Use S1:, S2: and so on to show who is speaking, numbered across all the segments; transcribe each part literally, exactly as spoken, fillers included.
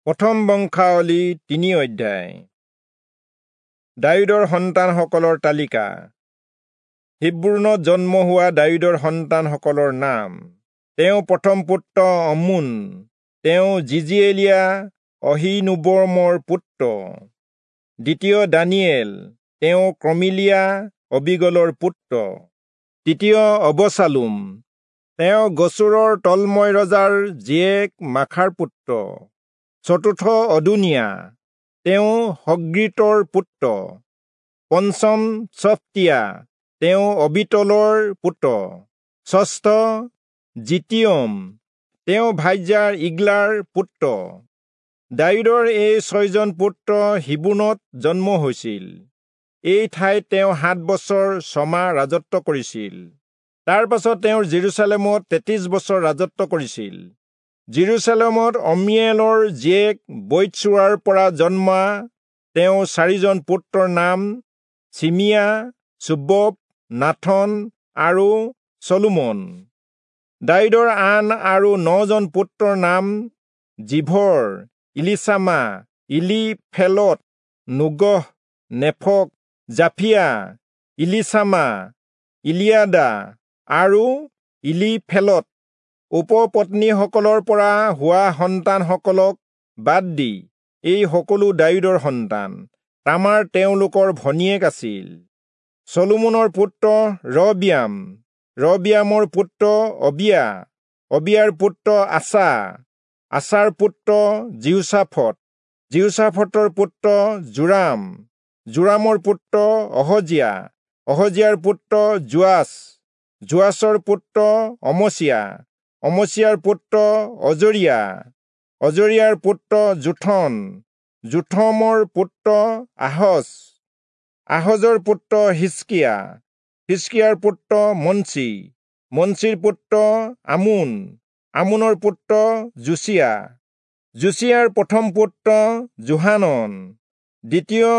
S1: প্ৰথম বংশাৱলী তিনি অধ্যায়। দায়ূদৰ সন্তানসকলৰ তালিকা। হিব্ৰোণত জন্ম হোৱা দায়ূদৰ সন্তানসকলৰ নাম। তেওঁ প্ৰথম পুত্ৰ অম্মোন, তেওঁ জিজিএলীয়া অহীনোৱমৰ পুত্ৰ। দ্বিতীয় দানিয়েল, তেওঁ কৰ্মিলীয়া অবীগলৰ পুত্ৰ। তৃতীয় অবচালোম, তেওঁ গচুৰৰ তল্ময় ৰজাৰ জীয়েক মাখাৰ পুত্ৰ। চতুৰ্থ অদোনিয়া, তেওঁ হগ্গীতৰ পুত্ৰ। পঞ্চম চফটীয়া, তেওঁ অবীতলৰ পুত্ৰ। ষষ্ঠ জিতিয়ম, তেওঁ ভাৰ্যা ইগ্লাৰ পুত্ৰ। দায়ূদৰ এই ছয়জন পুত্ৰ হিব্ৰোণত জন্ম হৈছিল। এই ঠাইত তেওঁ সাত বছৰ ছমাহ ৰাজত্ব কৰিছিল। তাৰ পাছত তেওঁ যিৰূচালেমত তেত্ৰিশ বছৰ ৰাজত্ব কৰিছিল। যিৰূচালেমত অম্মিয়েলৰ জীয়েক বৈৎচূৰাৰ পৰা জন্মা তেওঁ চাৰিজন পুত্ৰৰ নাম চিমিয়া, চোবব, নাথন আৰু চলোমন। দায়ূদৰ আন আৰু নজন পুত্ৰৰ নাম জিভৰ, ইলীচামা, ইলীফেলট, নোগহ, নেফগ, জাফিয়া, ইলীচামা, ইলিয়াদা আৰু ইলীফেলট। উপপত্নীসকলৰ পৰা হোৱা সন্তানসকলক বাদ দি এই সকলো দায়ূদৰ সন্তান। তামাৰ তেওঁলোকৰ ভনীয়েক আছিল। চলোমনৰ পুত্ৰ ৰহবিয়াম, ৰহবিয়ামৰ পুত্ৰ অবিয়া, অবিয়াৰ পুত্ৰ আছা, আছাৰ পুত্ৰ যিহোচাফট, যিহোচাফটৰ পুত্ৰ যোৰাম, যোৰামৰ পুত্ৰ অহজিয়া, অহজিয়াৰ পুত্ৰ যোৱাচ, যোৱাচৰ পুত্ৰ অমচিয়া, অমচিয়াৰ পুত্ৰ অজৰিয়া, অজৰিয়াৰ পুত্ৰ যোথন, যোথমৰ পুত্ৰ আহজ, আহজৰ পুত্ৰ হিজকিয়া, হিজকিয়াৰ পুত্ৰ মনচি, মনচিৰ পুত্ৰ আমোন, আমোনৰ পুত্ৰ যোচিয়া, যোচিয়াৰ প্ৰথম পুত্ৰ যোহানন, দ্বিতীয়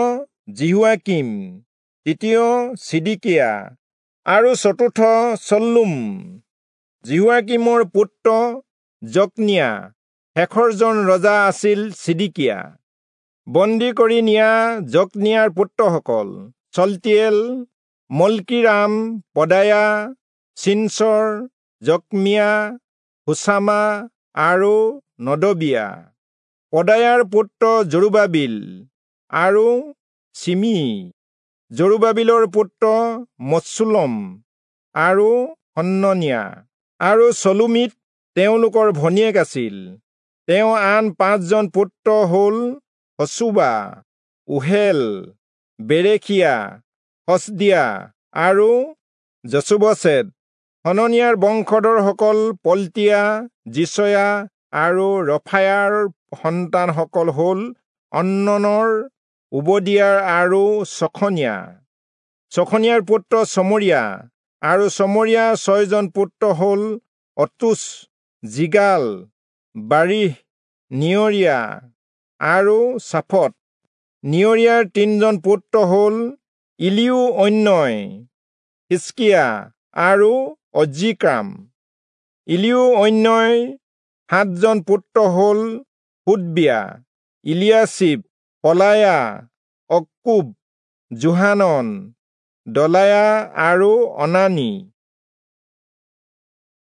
S1: যিহোয়াকীম, তৃতীয় চিদকিয়া আৰু চতুৰ্থ চল্লুম। যিহোয়াকীমৰ পুত্ৰ যকনিয়া, শেষৰজন ৰজা আছিল চিদকিয়া। বন্দী কৰি নিয়া যকনিয়াৰ পুত্ৰসকল চল্টিয়েল, মল্কিৰাম, পদায়া, চিনচৰ, যকমিয়া, হুচামা আৰু নদবিয়া। পদায়াৰ পুত্ৰ জৰুবাবিল আৰু চিমি। জৰুবাবিলৰ পুত্ৰ মচুল্লম আৰু হননিয়া আৰু চলোমিত তেওঁলোকৰ ভনীয়েক আছিল। তেওঁ আন পাঁচজন পুত্ৰ হ'ল হচুবা, ওহেল, বেৰেখিয়া, হচদিয়া আৰু যচুবচেদ। হননিয়াৰ বংশধৰসকল পলটিয়া, যিচয়া আৰু ৰফায়াৰ সন্তানসকল হ'ল অন্ননৰ, ওবদিয়াৰ আৰু চখনিয়া। চখনিয়াৰ পুত্ৰ চমৰীয়া আৰু চমৰীয়াৰ ছয়জন পুত্ৰ হ'ল অতুচ, জিগাল, বাৰীহ, নিয়ৰীয়া আৰু চাফট। নিয়ৰীয়াৰ তিনজন পুত্ৰ হ'ল ইলিও-ঐনয়, হিজকিয়া আৰু অজ্ৰীকাম। ইলিও-ঐনয়ৰ সাতজন পুত্ৰ হ'ল হোদবিয়া, ইলিয়াচীব, পলায়া, অক্কুব, যোহানন, দলায়া আৰু অনানী।